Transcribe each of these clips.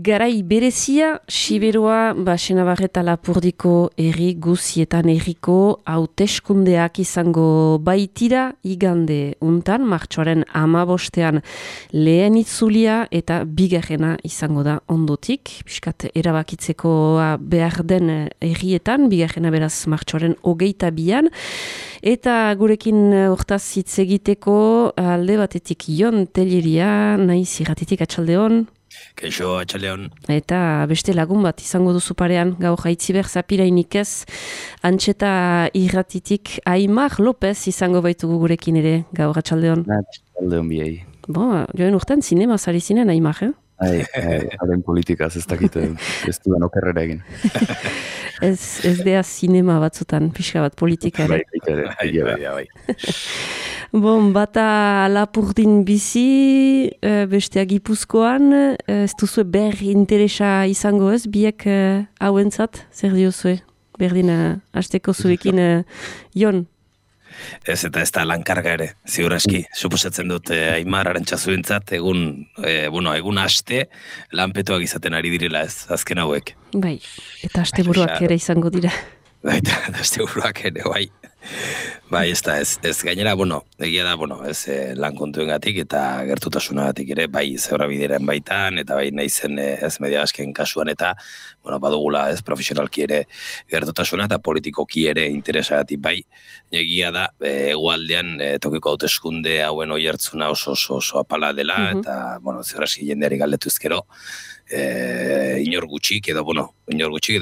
Garai berezia, Siberoa, Senabarreta Lapurdiko herri guzietan herriko hauteskundeak izango baitira igande untan, martxoaren 15 lehen itzulia eta bigarrena izango da ondotik. Piskat erabakitzeko behar den herrietan, bigarrena beraz martxoaren 22an. Eta gurekin hortaz hitz egiteko alde batetik Jon Telleria, naiz irratitik atxaldeon. Kaixo, atxaleon. Eta beste lagun bat izango duzu parean, gaur Aitziber Zapirainik ez, Antxeta irratitik Aimar López izango baitugu gurekin ere, gaur atxaldeon. Atxaldeon biei. Joen urtean zinema zari zinen Aimar, Haren politikaz ez dakite, ez duan okerrera egin. Ez dea zinema batzutan, pixka bat politika ere. Bai. Bata Lapurdin bizi, bestea Gipuzkoan, ez duzue ber interesa izango ez, biek hauentzat, zer diozue? Berdin hasteko zuekin, Jon? Ez eta ez da lankarga ere, ziur aski. Suposatzen dut Aimar Arantxazuentzat egun aste lanpetuak izaten ari direla ez, azken hauek. Bai, eta asteburuak ere izango dira. Bai, eta asteburuak ere, bai. Bai, ez gainera, egia da, ez lan kontuengatik eta gertutasunagatik ere, bai zeura bideren baitan, eta bai naizen ez media asken kasuan, eta badugula ez profesionalki ere gertutasuna eta politikoki ere interesagatik bai. Egia da, hegoaldean tokiko hauteskunde hauen oihartzuna oso apala dela, eta, zeura aski jendeari galdetuzkero, inor gutxik edo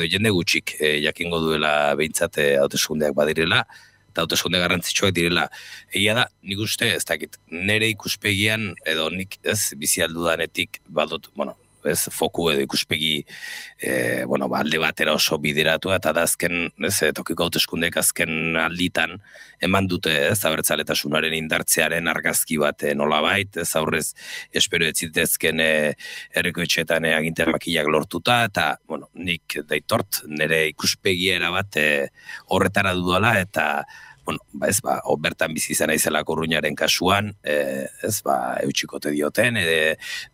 jende gutxik jakingo duela behintzat hauteskundeak badirela, eta hauteskunde garrantzitsuak direla. Egia da, nik uste, ez dakit, nire ikuspegian, edo nik ez bizialdudanetik badut, ez foku edo ikuspegi alde batera oso bideratu, eta da azken, tokiko hauteskundeek azken alditan eman dute, ez abertzaletasunaren indartzearen argazki bat nolabait, ez aurrez espero etzitezken herriko etxeetan agintean makiak lortuta, eta nik daitort nire ikuspegia erabat horretara dudala, eta bertan bizi izan aizelako Urruñaren kasuan, eutxikote dioten,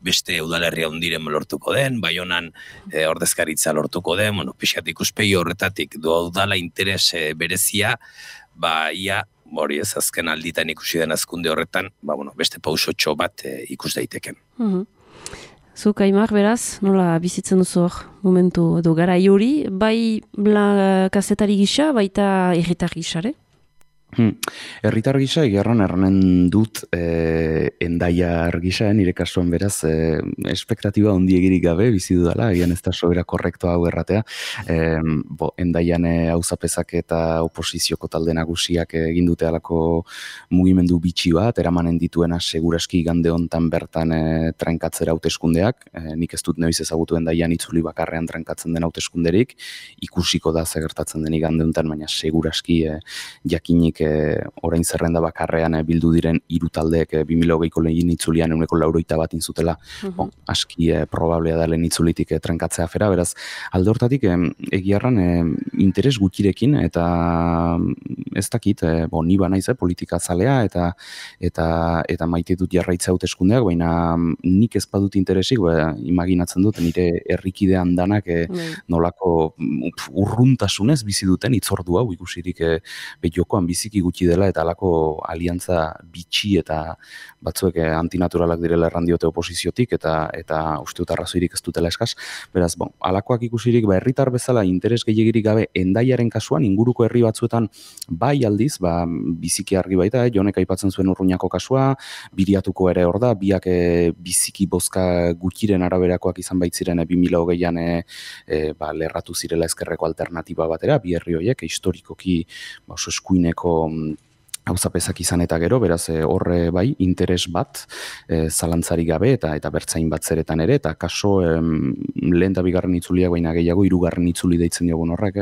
beste udalerria hundiren lortuko den, Baionan ordezkaritza lortuko den, pixkat ikuspegi horretatik dudala interes berezia, ia, hori ez, azken alditan ikusi den azkunde horretan, beste pausotxo bat ikus daiteken. Zuk, Aimar, beraz, nola bizitzen duzu hor momentu edo gara hori, bai kazetari gisa, baita herritar gisare? Herritar gisa, erranen dut endaiar gisa, nire kasuan beraz, espektatiba ondiegirik gabe, bizi dudala, egian ez da sobera korrektoa hau erratea. Endaian auzapezak eta oposizioko talde nagusiak egin dute alako mugimendu bitxi bat, eramanen dituena seguraski igande hontan bertan trenkatzera hauteskundeak, nik ez dut noiz ezagutu endaian itzuli bakarrean trenkatzen den hauteskunderik, ikusiko da zegertatzen den igande hontan, baina seguraski jakinik orain zerrenda bakarrean bildu diren 3 taldeek 2020ko lehen itzulian 181 inzutela, aski probablea da lehen itzulitik trenkatzea afera, beraz, alde hortatik egiarran interes gutxirekin, eta ez dakit, ni banaiz politika zalea, eta maite dut jarraitza hauteskundeak, baina nik ez badut interesik, imaginatzen dut, nire herrikidean danak nolako urruntasunez bizi duten itzordu hau ikusirik jokoan biziki gutxi dela, eta alako aliantza bitxi eta batzuek antinaturalak direla erran diote oposiziotik, eta uste dut arrazoirik ez dutela eskaz. Beraz, alakoak ikusirik, herritar bezala interes gehiagirik gabe endaiaren kasuan, inguruko herri batzuetan bai aldiz, biziki argi baita, Jonek aipatzen zuen Urruñako kasua, Biriatuko ere hor da, biak biziki bozka gutxiren araberakoak izan baitziren 2020an lerratu zirela ezkerreko alternatiba batera, bi herri horiek, historikoki oso eskuineko auzapezak izan eta gero, beraz horre bai, interes bat, zalantzarik gabe eta bertzain bat zeretan ere, eta kaso lehen da bigarren itzuliak baina gehiago, 3. itzuli deitzen jogun horrek,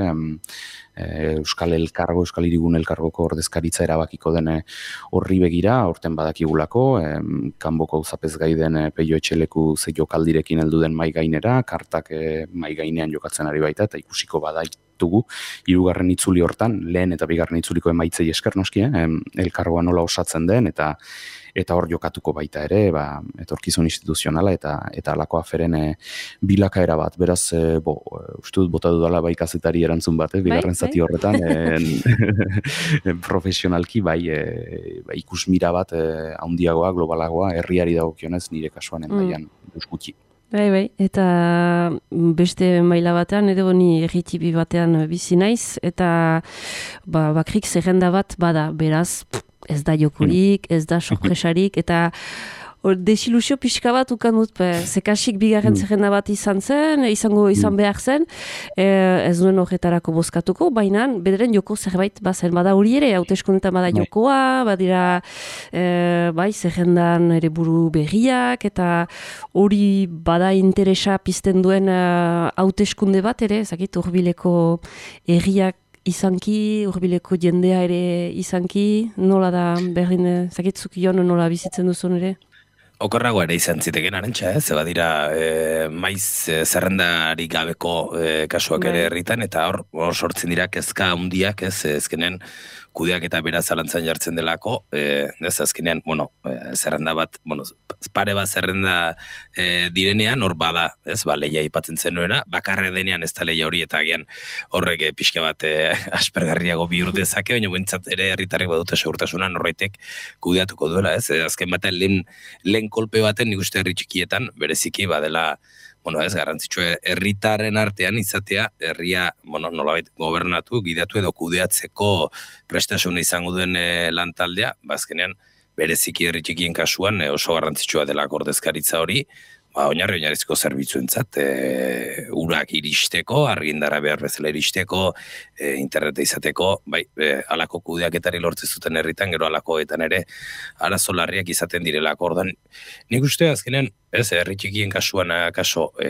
Euskal Hirigun Elkargoko ordezkaritza erabakiko den horri begira, horten badakigulako, kanboko auzapez gaiden Peio Etxeleku ze jokaldirekin heldu den mai gainera, kartak mai gainean jokatzen ari baita, eta ikusiko baditugu, 3. itzuli hortan, lehen eta bigarren itzuliko emaitzei esker noski, elkargoa nola osatzen den, eta eta hor jokatuko baita ere, etorkizun instituzionala eta alako aferen bilakaera bat. Beraz, uste dut bota dudala bai kazetari erantzun bat, bigarren zati horretan, profesionalki bai ikusmira bat handiagoa, globalagoa, herriari dagokionez nire kasuan endaian gutxi. Bai, eta beste maila batean, edo ni erritibi batean bizi naiz, eta bakrik zerrenda bat bada, beraz, ez da jokurik, ez da sorpresarik, eta desilusio pixka bat ukan dut, zekasik bigarren zerrenda bat izan behar zen, ez duen horretarako bozkatuko, baina bederen joko zerbait bazen, bada hori ere, hauteskundetan bada jokoa, badira zerrendan ere buru berriak, eta hori bada interesa pizten duen hauteskunde bat ere, zakit, hurbileko erriak izanki, hurbileko jendea ere izanki, nola da berdin, zakitzuk joan nola bizitzen duzun ere? Okorrago ere izan ziteken arantxa, ze badira maiz zerrendari gabeko kasuak ere herritan, eta hor sortzen dira kezka handiak, ezkenen kudeak eta beraz zalantzan jartzen delako, ez azkenean, zerrenda bat, pare bat zerrenda direnean, hor bada, ez, lehia ipatzen zenuena, bakarre denean ez da lehia hori, eta agian horrek pixka bat aspergarriago bihur dezake, baina bentsat ere herritarrek badute segurtasuna norbaitek kudeatuko duela, ez, azken batean lehen kolpe baten nik uste herri txikietan, bereziki badela, ez garrantzitsua herritaren artean izatea, herria, nolabait gobernatu, gidatu edo kudeatzeko prestasuna izango duen lantaldea, azkenean bereziki herri txikien kasuan oso garrantzitsua dela ordezkaritza hori, oinarrizko zerbitzuentzat, urak iristeko, argindara behar bezala iristeko, interneta izateko, alako kudeaketari lortzen zuten herritan, gero alakoetan ere arazo larriak izaten direlako. Ordan, nik uste azkenean, herri txikien kasuan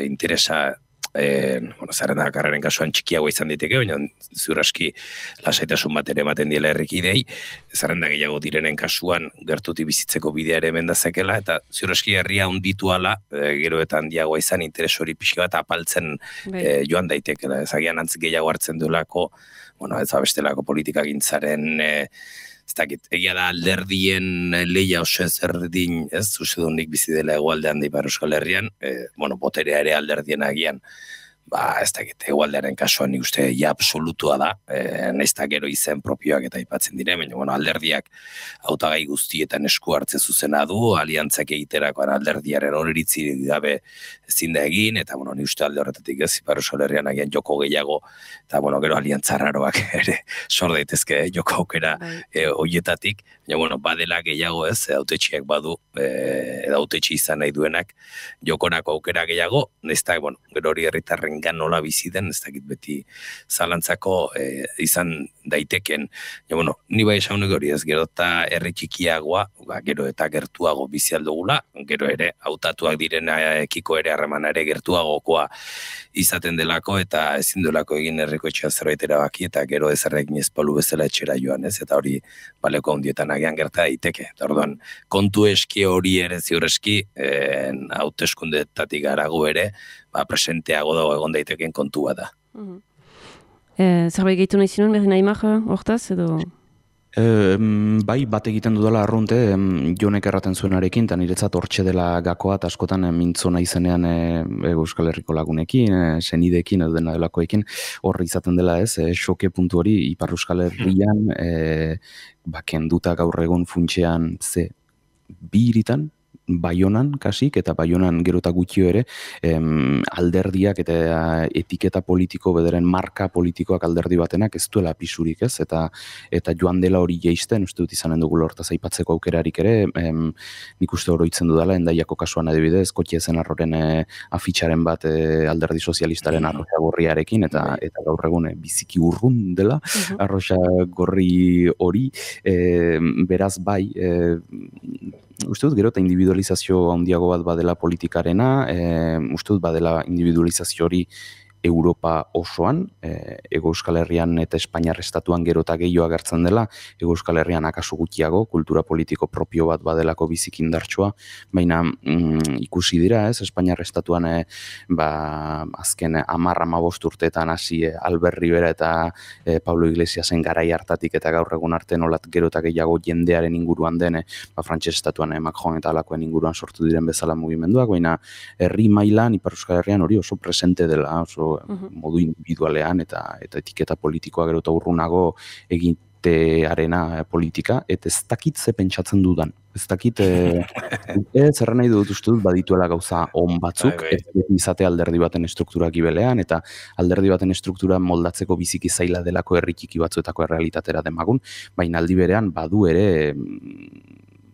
interesa, zerrenda karreren kasuan txikiago izan diteke, baina ziurraski lasaitasun bat ere ematen diela herrikidei, zerrenda gehiago direnen kasuan gertuti bizitzeko bidea ere mendazekela, eta ziurraski herria hunditu ala, gero eta handiagoa izan interes hori pixka bat apaltzen joan daitekela, ezagian antz gehiago hartzen duelako, ez bestelako politikagintzaren ez dakit, egia da alderdien lehia oso ezberdin, ez, usedunik bizi dela hegoaldean da Ipar Euskal Herrian, boterea ere alderdien agian, ez dakit, hegoaldearen kasuan nik uste absolutua da, nahiz eta gero izen propioak eta aipatzen dire, baina alderdiak hautagai guztietan esku hartze zuzena du, aliantzak egiterakoan alderdiaren horiritzi gabe ezin da egin, eta nik uste alde horretatik ez, Ipar Euskal Herrian agian joko gehiago, eta gero aliantza raroak ere sor daitezke joko aukera horietatik, baina badela gehiago ez, hautetxiak badu, edo hautetxi izan nahi duenak jokonako aukera gehiago, nahiz eta gero hori herritarren nola bizi den, ez dakit beti zalantzako izan daiteken. Ni bai esan hori ez, gero eta herri txikiagoa, gero eta gertuago bizi aldugula, gero ere hautatuak direnekiko ere harremana ere gertuagokoa izaten delako, eta ezin delako egin herriko etxea zerbait erabaki, eta gero ezerrekin ezpalu bezala etxera joan, ez, eta hori baleko handietan agian gerta daiteke. Eta orduan, kontu eski hori ere ziur eski, hauteskundetatik garago ere, presenteago dago egon daiteken kontua da. Zerbait gehitu nahi zinuen, berri nahi maha, hortaz, edo? Bai, bat egiten dudala arrunte, Jonek erraten zuenarekin, eta niretzat hortxe dela gakoa, eta askotan mintzona izenean Euskal Herriko lagunekin, senidekin, edo dena delakoekin, horri izaten dela ez, xoke puntu hori, Ipar Euskal Herrian, kenduta gaur egun funtsean bi hiritan, Baionan kasik, eta Baionan gero eta gutxio ere, alderdiak eta etiketa politiko, bederen marka politikoak alderdi batenak ez duela pisurik ez, eta joan dela hori jeisten, uste dut izanen dugu hortaz aipatzeko aukerarik ere, nik uste oroitzen dudala, Endaiako kasuan adibidez, Kotxezen Arroren afitxaren bat alderdi sozialistaren arroxa gorriarekin, eta gaur egun biziki urrun dela, arroxa gorri hori, beraz bai, uste dut gero eta individualizazio handiago bat badela politikarena, uste dut badela individualizazio hori Europa osoan, Hego Euskal Herrian eta Espainiar estatuan gero eta gehiago agertzen dela, Hego Euskal Herrian akaso gutxiago, kultura politiko propio bat badelako bizik indartsua, baina ikusi dira, ez, Espainiar estatuan azken 10-15 urteetan hasi Albert Rivera eta Pablo Iglesiasen garai hartatik eta gaur egun arte nolat gero eta gehiago jendearen inguruan den, Frantses estatuan Macron eta alakoen inguruan sortu diren bezala mugimenduak, baina herri mailan Ipar Euskal Herrian hori oso presente dela, oso modu individualean eta etiketa politikoa gero eta urrunago egitearena politika, eta ez dakit ze pentsatzen dudan. Ez dakit, zerren nahi dut uste dut badituela gauza on batzuk, ez izate alderdi baten struktura gibelean, eta alderdi baten struktura moldatzeko biziki zaila delako herritiki batzuetako errealitatera demagun, baina aldi berean badu ere,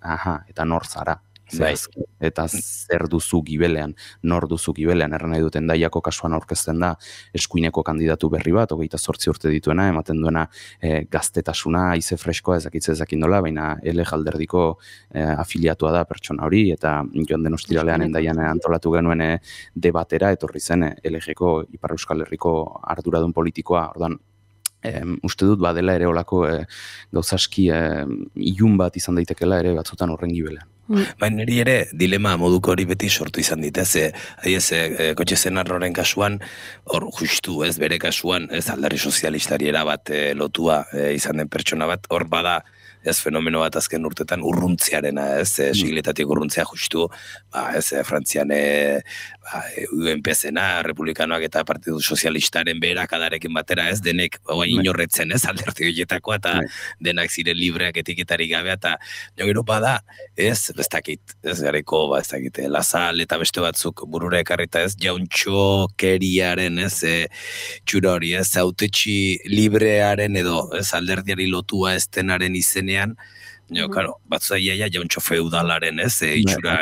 eta nor zara. Eta zer duzu gibelean, nor duzu gibelean, erran nahi duten Endaiako kasuan aurkezten da eskuineko kandidatu berri bat, 28 urte dituena, ematen duena gaztetasuna, haize freskoa ezakin dola, baina LG alderdiko afiliatua da pertsona hori, eta joan den ostiralean Endaian antolatu genuen debatera, etorri zen LG-ko Ipar Euskal Herriko arduradun politikoa, ordan, uste dut badela ere olako gauzaski ilun bat izan daitekela ere batzutan horren gibelean. Baina niri ere dilema moduko hori beti sortu izan dit, kotxe zenarroren kasuan, hor justu, bere kasuan, alderdi sozialistari erabat lotua izan den pertsona bat, hor bada, fenomeno bat azken urtetan urruntziarena, sigletatik urruntzia justu, Frantzian UNP-zena, republikanoak eta Partidu Sozialistaren beherakadarekin batera, denek inorretzen, alderdi horietakoa, eta denak ziren libreak etiketarik gabea, eta gero bada, ez dakit, gareko, ez dakit, Lazal eta beste batzuk burura ekarrita, jauntxo keriaren, txura hori, hautetxi librearen edo, alderdiari lotua ez denaren izenean, batzu da jauntxo feudalaren, itxura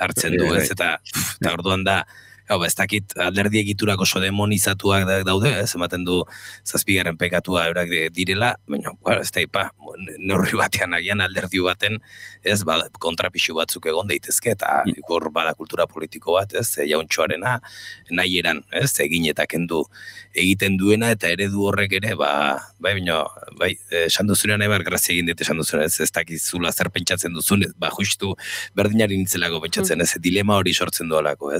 hartzen du, eta orduan da, ez dakit alderdi egiturak oso demonizatuak daude, ematen du zazpigarren pekatua eurak direla, baina, ez da, neurri batean agian alderdi baten, kontrapixu batzuk egon daitezke, eta hor bada kultura politiko bat, jauntxoarena, nahi eran, egin eta kendu egiten duena, eta eredu horrek ere, esan duzunean nahi grazia egin dut esan duzunean, ez dakizula zer pentsatzen duzun, justu berdinari nintzelako pentsatzen, dilema hori sortzen duelako,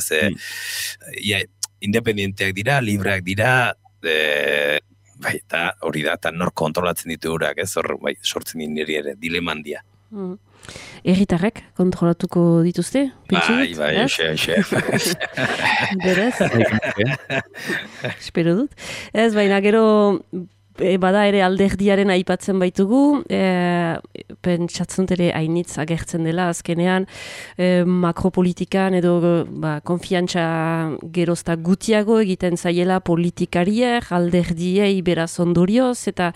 independienteak dira, libreak dira, eta hori da, eta nor kontrolatzen ditu eurak, sortzen niri ere, dilema handia. Herritarrek kontrolatuko dituzte? Bai, xe. Berez? Espero dut. Ez, baina gero bada ere alderdiaren aipatzen baitugu, pentsatzen ere hainitz agertzen dela azkenean, makropolitikan edo konfiantza gerozta gutiago egiten zaiela politikariek, alderdiei beraz ondorioz, eta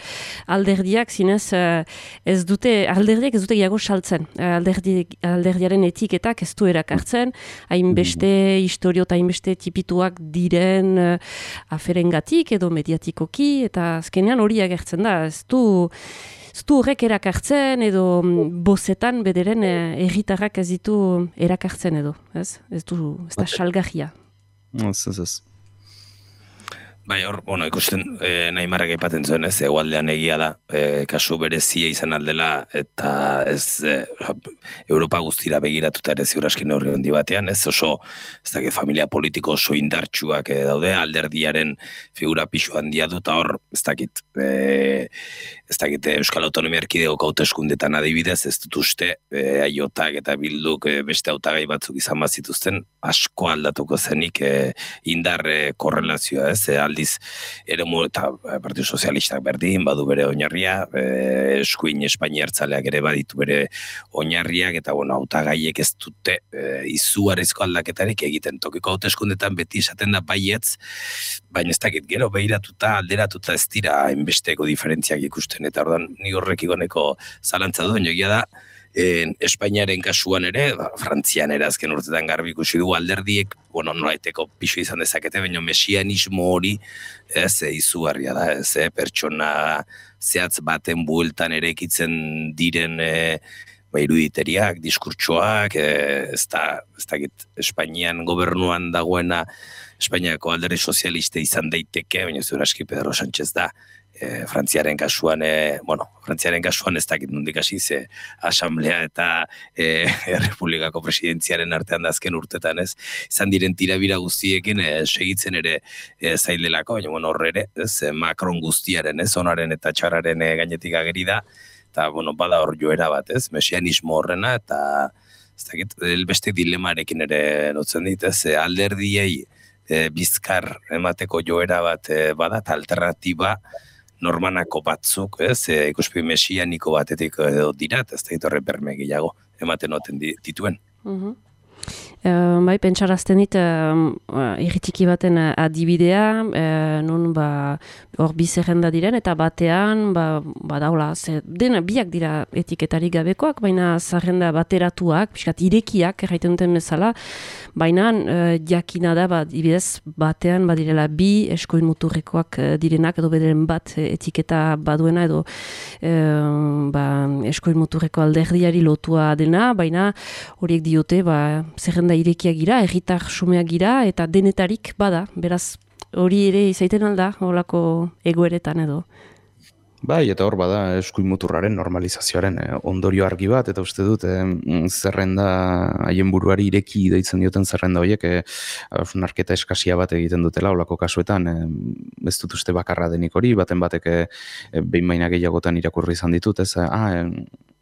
alderdiak zinez alderdiak ez dute gehiago saltzen. Alderdiaren etiketak ez du erakartzen, hainbeste historio eta hainbeste tipituak diren aferengatik edo mediatikoki, eta azkenean hori agertzen da, ez du horrek erakartzen edo bozetan bederen herritarrak ez ditu erakartzen edo, ez da salgahia. Ez. Bai, hor, ikusten Naimarrak aipatzen zuen, egualdean egia da, kasu berezia izan aldela, eta Europa guztira begiratuta ere ziuraskin neurri handi batean, oso, ez dakit, familia politiko oso indartsuak daude, alderdiaren figura pixu handia du, eta hor, ez dakit, Euskal Autonomia Erkidegoko hauteskundetan adibidez, ez dut uste, Aiotak eta Bilduk beste hautagai batzuk izan bazituzten, asko aldatuko zenik indar korrelazioa, aldiz eremu eta Partidu Sozialistak berdin, badu bere oinarria, eskuin Espainiartzaleak ere baditu bere oinarriak, eta hautagaiek ez dute izugarrizko aldaketarik egiten. Tokiko hauteskundetan beti esaten da baietz, baina ez dakit gero behiratuta, alderatuta ez dira hainbesteko diferentziak ikusten, eta ordan ni horrek igoneko zalantza du, egia da, Espainiaren kasuan ere, Frantzian ere azken urtetan garbi ikusi du alderdiek, nolaiteko pixu izan dezakete, baina mesianismo hori izugarria da, pertsona zehatz baten bueltan ere ekitzen diren iruditeriak, diskurtsoak, ez dakit Espainian gobernuan dagoena Espainiako alderdi sozialiste izan daiteke, baina zuraski Pedro Sánchez da. Frantziaren kasuan ez dakit nondik hasi ze asamblea eta Errepublikako presidentziaren artean da azken urtetan ez, izan diren tirabira guztiekin segitzen ere zaildelako, baina horre ere, Macron guztiaren, onaren eta txararen gainetik ageri da, eta bada hor joera bat, mesianismo horrena, eta ez dakit, beste dilemarekin ere lotzen dit, alderdiei bizkar emateko joera bat bada, eta alternatiba normanako batzuk, ikuspegi mesianiko batetik dira, ez da horre berme gehiago ematen oten dituen. Bai, pentsarazten dit irritiki baten adibidea, nun hor bi zerrenda diren, eta batean, daula, dena biak dira etiketarik gabekoak, baina zerrenda bateratuak, pixkat irekiak, erraiten duten bezala, baina jakina da, adibidez, batean badirela bi eskoin muturrekoak direnak, edo bederen bat etiketa baduena, edo eskoin muturreko alderdiari lotua dena, baina horiek diote, zerrenda irekiak gira, herritar xumeak gira, eta denetarik bada, beraz hori ere izaiten alda, holako egoeretan edo. Bai, eta hor bada eskuin muturraren normalizazioaren ondorio argi bat, eta uste dut zerrenda haien buruari ireki deitzen dioten zerrenda horiek narketa eskasia bat egiten dutela holako kasuetan, ez dut uste bakarra denik hori, baten batek behin baina gehiagotan irakurri izan ditut,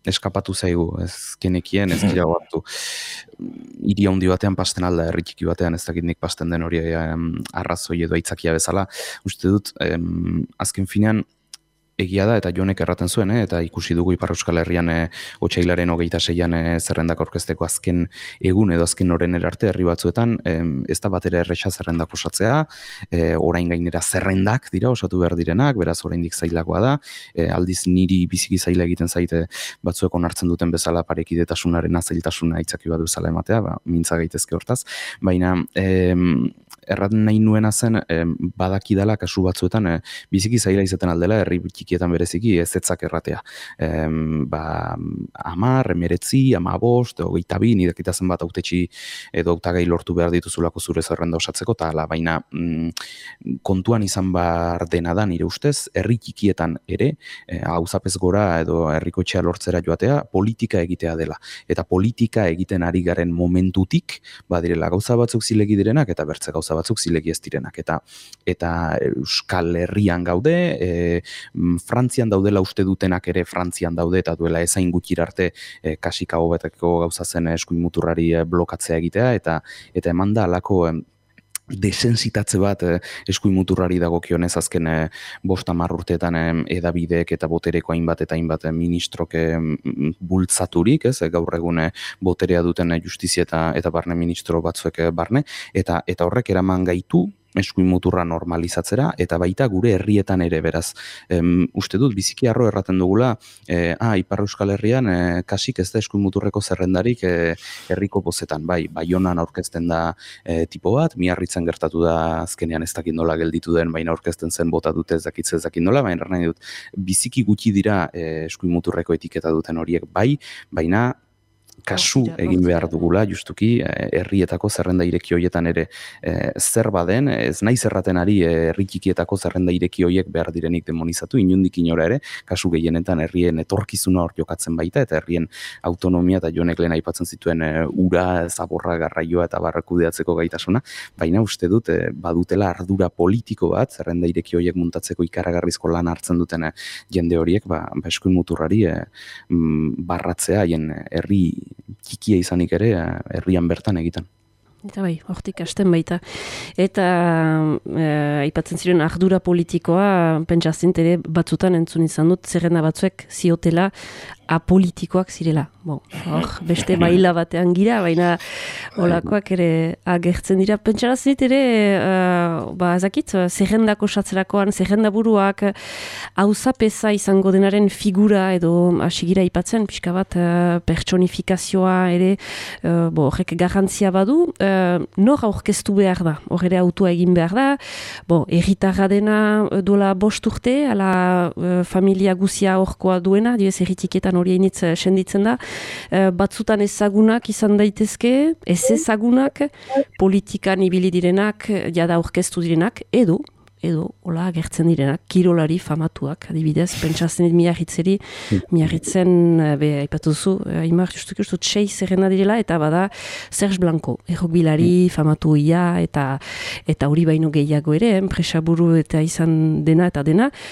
eskapatu zaigu, ez genekien, ez gira hartu. Hiri handi batean pasten alda, herri txiki batean, ez dakit nik pasten den hori arrazoi edo aitzakia bezala. Uste dut, azken finean, egia da, eta Jonek erraten zuen, eta ikusi dugu Ipar Euskal Herrian otsailaren 26an zerrendak aurkezteko azken egun edo azken oren arte herri batzuetan, ez da batera erresa zerrendak osatzea, orain gainera zerrendak dira osatu behar direnak, beraz oraindik zailagoa da, aldiz niri biziki zaila egiten zaite batzuek onartzen duten bezala parekidetasunaren zailtasuna aitzaki bat bezala ematea, mintza gaitezke hortaz, baina erraten nahi nuena zen badakidala kasu batzuetan biziki zaila izaten aldela herri txikietan bereziki ezetzak erratea. 10, 19, 15, 22, nidekitazen bat hautetxi edo hautagai lortu behar dituzulako zure zerrenda osatzeko, eta ala, baina kontuan izan behar dena da nire ustez, herri txikietan ere, auzapez gora edo herriko etxea lortzera joatea, politika egitea dela. Eta politika egiten ari garen momentutik, badirela gauza batzuk zilegi direnak, eta bertze gauza batzuk zilegi ez direnak. Eta Euskal Herrian gaude, Frantzian daudela uste dutenak ere Frantzian daude, eta duela ezain gutxir arte kasika hobeteko gauza zen eskuin muturrari blokatzea egitea, eta eman da alako desensitatze bat eskuin muturrari dagokionez azken 5-10 urteetan edabideek eta botereko hainbat eta hainbat ministrok bultzaturik, gaur egun boterea duten justizia eta barne ministro batzuek barne, eta horrek eraman gaitu eskuin muturra normalizatzera, eta baita gure herrietan ere, beraz. Uste dut, biziki harro erraten dugula, Ipar Euskal Herrian kasik ez da eskuin muturreko zerrendarik herriko bozetan. Baionan aurkezten da tipo bat, Miarritzen gertatu da azkenean ez dakit nola gelditu den, baina aurkezten zen bota dute ez dakit nola, baina nahi dut, biziki gutxi dira eskuin muturreko etiketa duten horiek baina kasu egin behar dugula, justuki, herrietako zerrenda ireki horietan ere zer baden, ez nahi zerraten ari herri txikietako zerrenda ireki horiek behar direnik demonizatu, inundik inora ere, kasu gehienetan herrien etorkizuna hor jokatzen baita, eta herrien autonomia eta Jonek lehen aipatzen zituen ura, zaborra, garraioa eta barrakudeatzeko gaitasuna, baina uste dut badutela ardura politiko bat, zerrenda ireki horiek muntatzeko ikaragarrizko lan hartzen duten jende horiek, eskuin muturrari barratzea haien herri txikia izanik ere herrian bertan egiten. Eta hortik hasten baita. Eta aipatzen ziren ardura politikoa, pentsazint ere batzutan entzun izan dut, zerrenda batzuek ziotela apolitikoak zirela. Beste maila batean gira, baina olakoak ere agertzen dira. Pentsarazit ere, ezakit, zerrendak osatzerakoan, zerrenda buruak auzapeza izango denaren figura edo hasigira aipatzen, pixka bat pertsonifikazioa ere, horrek garrantzia badu, nor aurkeztu behar da, hor ere autua egin behar da, herritarra dena duela 5 urte, ala familia guzia horkoa duena, dioz herritiketa horretan hori hainitz senditzen da, batzutan ezagunak izan daitezke, ez ezagunak, politikan ibili direnak, jada aurkeztu direnak, edo, hola, agertzen direnak, kirolari famatuak, adibidez, pentsatzen dit miarritzen, aipatu duzu, Aimar, justuki uste, txei zerrena direla, eta bada Serge Blanco, errokbilari famatu ia, eta hori baino gehiago ere, enpresaburu eta izan dena,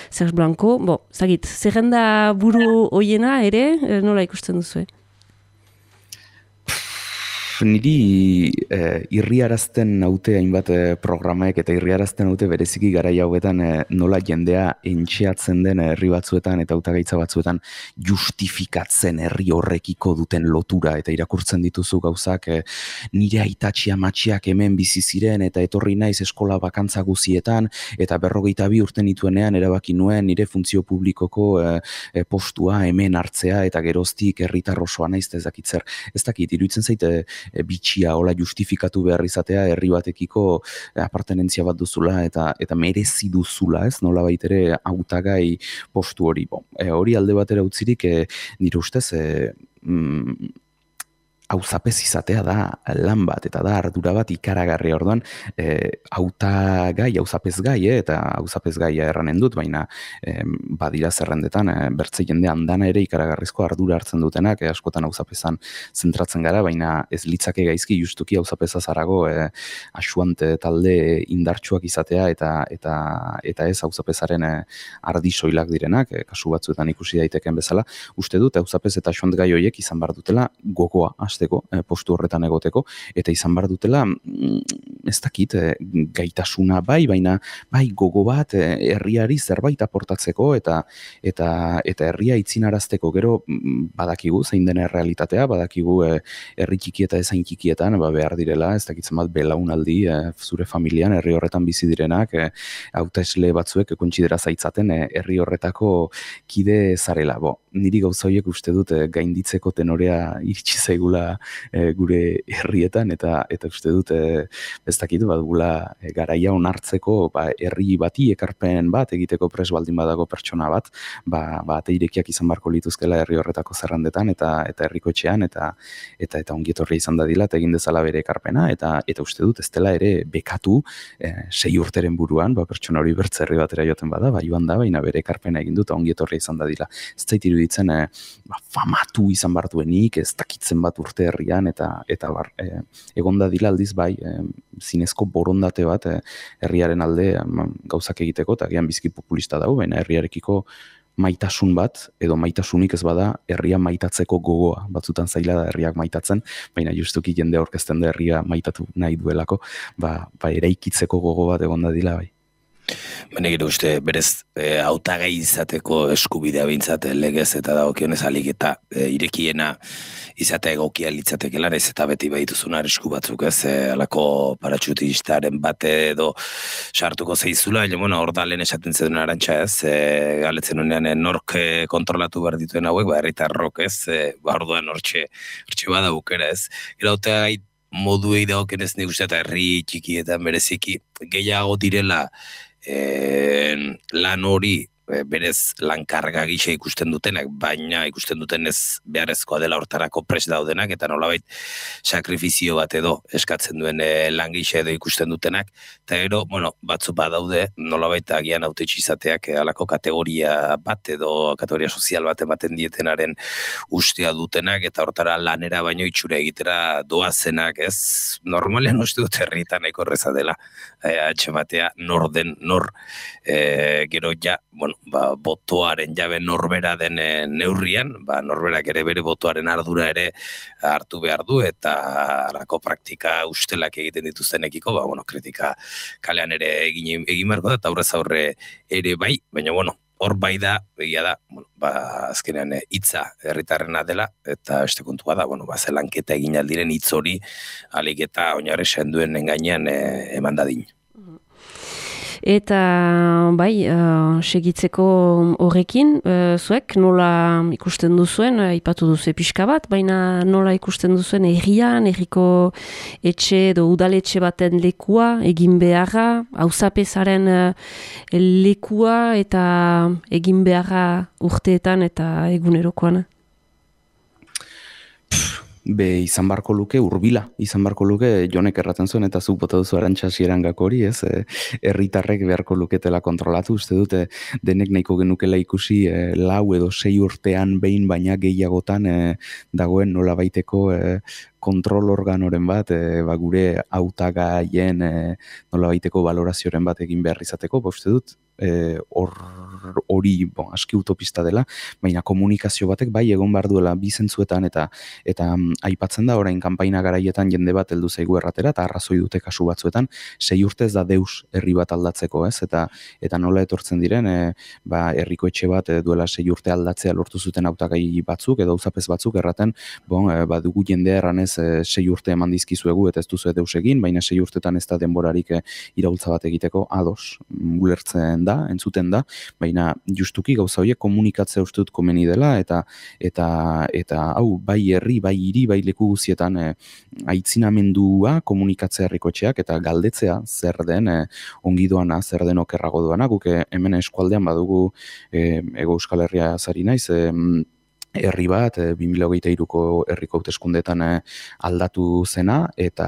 Serge Blanco, zagit, zerrenda buru hoiena ere, nola ikusten duzu, Niri irriarazten naute hainbat programaek eta irriarazten naute bereziki garai hauetan nola jendea entxeatzen den herri batzuetan eta hautagaitza batzuetan justifikatzen herri horrekiko duten lotura eta irakurtzen dituzu gauzak nire aitatxia matxiak hemen bizi ziren eta etorri naiz eskola bakantza guzietan eta 42 urte nituenean erabaki nuen nire funtzio publikoko postua hemen hartzea eta geroztik herritar osoa naiz ez dakit zer. Ez dakit, iruditzen zaite bitxia hola justifikatu behar izatea herri batekiko apartenentzia bat duzula eta merezi duzula, ez? Nola baitere hautagai postu hori. Hori alde batera utzirik nire ustez hauzapez izatea da lan bat, eta da ardura bat ikaragarri orduan, hauzapez gai, eta hauzapez gaia erranen dut, baina badira zerrendetan, bertze jende handana ere ikaragarrizko ardura hartzen dutenak, askotan hauzapezan zentratzen gara, baina ez litzake gaizki justuki hauzapeza zarago asuante talde indartsuak izatea, eta ez hauzapezaren ardisoilak direnak, kasu batzuetan ikusi daiteken bezala, uste dut hauzapez eta asuant gai horiek izan behar dutela gogoa, postu horretan egoteko, eta izan behar dutela, ez dakit, gaitasuna baina bai gogo bat herriari zerbait aportatzeko, eta herria itzinarazteko gero badakigu, zein dena realitatea, badakigu herri txiki eta ezain txikietan, behar direla, ez dakitzen bat belaunaldi, zure familian, herri horretan bizi direnak, hautesle batzuek kontsidera zaitzaten herri horretako kide zarela. Niri gauza horiek uste dut gainditzeko tenorea iritsi zaigula gure herrietan eta uste dut ez dakit badugula garaia onartzeko herri bati ekarpen bat egiteko pres baldin badago pertsona bat ate irekiak izan barko lituzkela herri horretako zerrendetan eta herriko etxean eta ongietorri izan dadila eta egin dezala bere ekarpena eta uste dut ez dela ere bekatu 6 urteren buruan pertsona hori bertze herri batera joaten bada joan da baina bere ekarpena egin dut ongietorri izan dadila ez zait iruditzen famatu izan bartuenik ez dakitzen bat urte herrian eta egonda dila aldiz zinezko borondate bat herriaren alde gauzak egiteko eta gian bizki populista dago, baina herriarekiko maitasun bat, edo maitasunik ez bada herria maitatzeko gogoa, batzutan zaila da herriak maitatzen, baina justuki jende aurkezten da herria maitatu nahi duelako, eraikitzeko gogo bat egonda dila bai. Baina gero uste, berez, hautagai izateko eskubidea bintzat legez eta dagokionez alik eta irekiena izatea egokia litzatekela, ez eta beti behituzun arrisku batzuk ez, alako paratxutistaren bate edo sartuko zeizula, baina hor da lehen esaten zen arantxa ez, galetzen honean nork kontrolatu behar dituen hauek, herritarrok ez, orduan hortxe bada bukera ez, gero hautagai moduei dagokionez nik uste eta herri txikietan bereziki gehiago direla lan hori berez lankarga gisa ikusten dutenak, baina ikusten dutenez beharrezkoa dela hortarako prest daudenak, eta nolabait sakrifizio bat edo eskatzen duen lan gisa edo ikusten dutenak, eta gero, batzu badaude nolabait agian hautetxe izateak alako kategoria bat edo kategoria sozial bat ematen dietenaren ustea dutenak, eta hortara lanera baino itxura egitera doazenak, ez normalean uste dut herrietan nahiko erreza dela, atxematea nor den, gero ja, botoaren jabe norbera den neurrian, norberak ere bere botoaren ardura ere hartu behar du, eta alako praktika ustelak egiten dituztenekiko, kritika kalean ere egin marko da, eta aurrez aurre ere bai, baina hor bai da, egia da, azkenean hitza herritarrena dela, eta beste kontua da, zelanketa egin aldiren hitz hori, alik eta oinarri senduen engainean eman dadin. Eta segitzeko horrekin, zuek nola ikusten duzuen, ipatu duzu pixka bat, baina nola ikusten duzuen herrian, herriko etxe edo udaletxe baten lekua, egin beharra, hauzapezaren lekua eta egin beharra urteetan eta egunerokoan? izan barko luke, urbila, izan barko luke, Jonek erraten zuen, eta zuk bota duzu Arantxa hasierangako hori, ez? Herritarrek beharko luketela kontrolatu, uste dute, denek nahiko genukela ikusi 4 edo 6 urtean behin, baina gehiagotan dagoen nola baiteko kontrol organoren bat, gure hautagaien nola baiteko valorazioren bat egin behar izateko, uste dut, hori aski utopista dela, baina komunikazio batek bai egon behar duela bi zentzuetan eta aipatzen da orain kanpaina garaietan jende bat heldu zaigu erratera eta arrazoi dute kasu batzuetan 6 urte ez da deus herri bat aldatzeko, ez? Eta nola etortzen diren herriko etxe bat duela 6 urte aldatzea lortu zuten hautagai batzuk edo auzapez batzuk erraten, badugu jendea erranez 6 urte eman dizkizuegu eta ez duzu deus egin, baina 6 urtetan ez da denborarik iraultza bat egiteko ados, ulertzen da, entzuten da, baina justuki gauza horiek komunikatzea uste dut komeni dela eta hau bai herri, bai hiri, bai leku guztietan aitzinamendua komunikatzea herrikotxeak eta galdetzea zer den ongi doana, zer den okerrago doana, guk hemen eskualdean badugu Hego Euskal Herria zari naiz, herri bat 2023ko herriko hauteskundeetan aldatu zena eta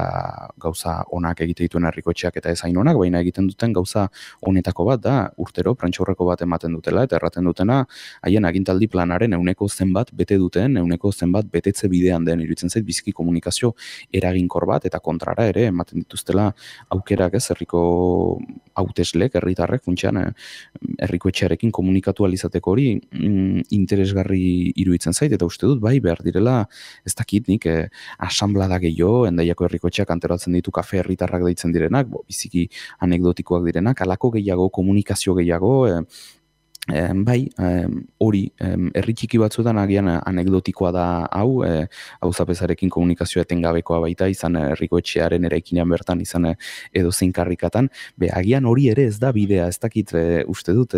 gauza onak egite dituen herrikotxeak eta ez hain onak, baina egiten duten gauza honetako bat da urtero prantsaurreko bat ematen dutela eta erraten dutena haien agintaldi planaren ehuneko zenbat bete duten, ehuneko zenbat betetze bidean den, iruditzen zait biziki komunikazio eraginkor bat eta kontrara ere ematen dituztela aukerak, ez, herriko hauteslek, herritarrek funtsean herrikoetxearekin komunikatu alizateko hori interesgarri iruditzen zait, eta uste dut bai behar direla, ez dakit nik asanblada gehiago, Hendaiako herrikotxeak antolatzen ditu kafe herritarrak deitzen direnak, biziki anekdotikoak direnak, halako gehiago, komunikazio gehiago, bai, hori, herri txiki batzuetan agian anekdotikoa da hau, auzapezarekin komunikazioa etengabekoa baita, izan herriko etxearen eraikinean bertan, izan edo zein karrikatan, agian hori ere ez da bidea, ez dakit uste dut,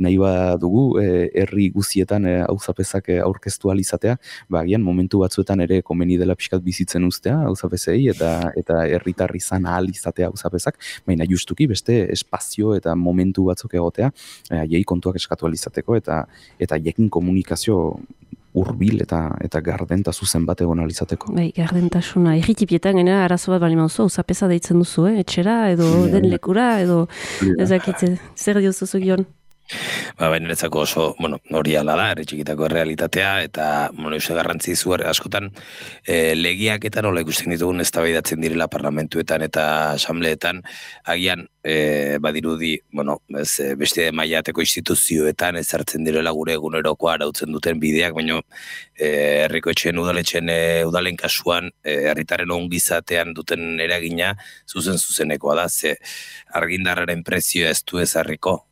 nahi badugu herri guzietan auzapezak aurkeztu alizatea, agian momentu batzuetan ere komeni dela pixkat bizitzen uztea auzapezei, eta herritar izan ahal izatea auzapezak, baina justuki beste espazio eta momentu batzuk egotea, jai kontuak eskatu alizateko eta jekin komunikazio hurbil eta garden eta zuzen bat egon alizateko. Bai, gardentasuna. Erritipietan gena arazo bat bali mauzu, auzapeza deitzen duzu, etxera, edo den lekura, edo ezakitze, zer diozu Jon? Baina netzako oso, hori ala da, herri txikitako realitatea, eta, euste garrantzi zu askotan, legiak eta nola ikusten ditugun eztabaidatzen direla parlamentuetan eta asambleetan, agian, badirudi, beste mailateko instituzioetan ezartzen direla gure egunerokoa arautzen duten bideak, baina herriko etxeen udalen kasuan, herritaren ongizatean duten eragina zuzenekoa da, ze argindarraren prezioa ez du ezarriko,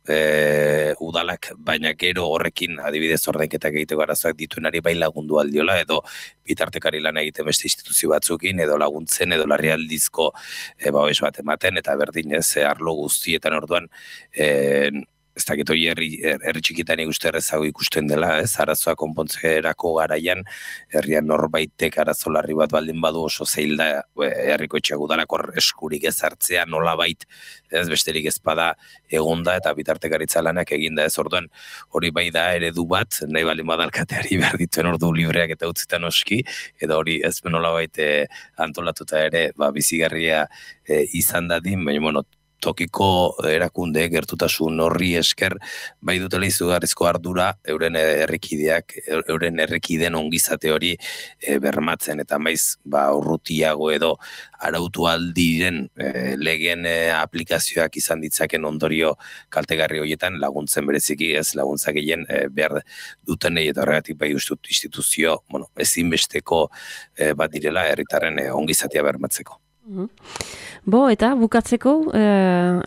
udalak, baina gero horrekin adibidez ordainketak egiteko arazoak dituenari bai lagundu aldiola, edo bitartekari lan egiten beste instituzio batzukin, edo laguntzen, edo larrialdizko babes bat ematen, eta berdin ez arlo guztietan orduan, ez dakit hori herri txikitan ikuste errezago ikusten dela, ez arazoa konpontzerako garaian, herrian norbaitek arazo larri bat baldin badu oso zeil da herriko etxeak udalako eskurik ezartzea nolabait, ez besterik ezpada egonda eta bitartekaritza lanak eginda, ez orduan hori bai da eredu bat, nahi baldin badalkateari behar dituen ordu libreak eta utzitan oski, edo hori ez nolabait antolatuta ere bizigarria izan dadin, baina tokiko erakunde gertutasun horri esker bai dutela izugarrizko ardura euren herrikideen ongizate hori bermatzen eta maiz urrutiago edo arautu aldiren legen aplikazioak izan ditzaken ondorio kaltegarri horietan laguntzen bereziki ez laguntza gehien behar dutenei eta horregatik bai ustut instituzio ezinbesteko bat direla herritarren ongizatea bermatzeko. Eta bukatzeko,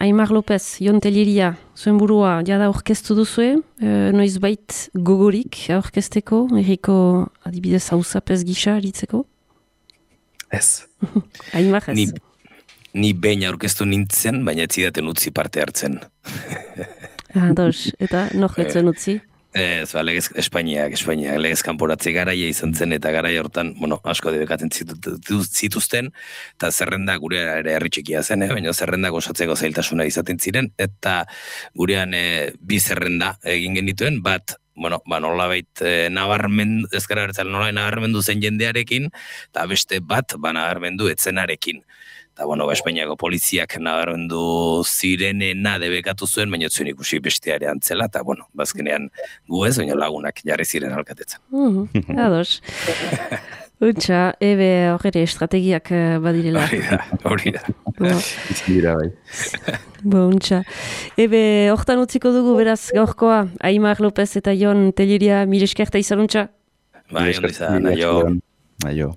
Aimar López, Jon Telleria, zuen burua, jada aurkeztu duzue, noizbait gogorik aurkezteko, herriko adibidez auzapez gisa aritzeko? Ez. Aimar ez? Ni behin aurkeztu nintzen, baina ez zidaten utzi parte hartzen. Eta nojetzen utzi? Ez, legez Espainiak, legez kanporatze garaia izan zen, eta garaia hortan, asko debekatzen zituzten, eta zerrenda gurea ere herri txikia zen, baina zerrendak osatzeko zailtasuna izaten ziren, eta gurean bi zerrenda egin genituen, bat bueno, nolabait ezker abertzale nolabait nabarmendu zen jendearekin, eta beste bat nabarmendu etzenarekin. Eta, Espainiako poliziak nabarmendu zirenena debekatu zuen, baina zuen ikusi besteare antzela, eta, bazkenean gu ez, baina lagunak jarri ziren alkatetzen. Ados. Untxa, ebe horre estrategiak badirela. Hori da. Dira bai. Untxa. Ebe, hortan utziko dugu beraz gaurkoa, Aimar López eta Jon Telleria, mire eskerta izan untxa. Bai, ondizan, aio. Aio.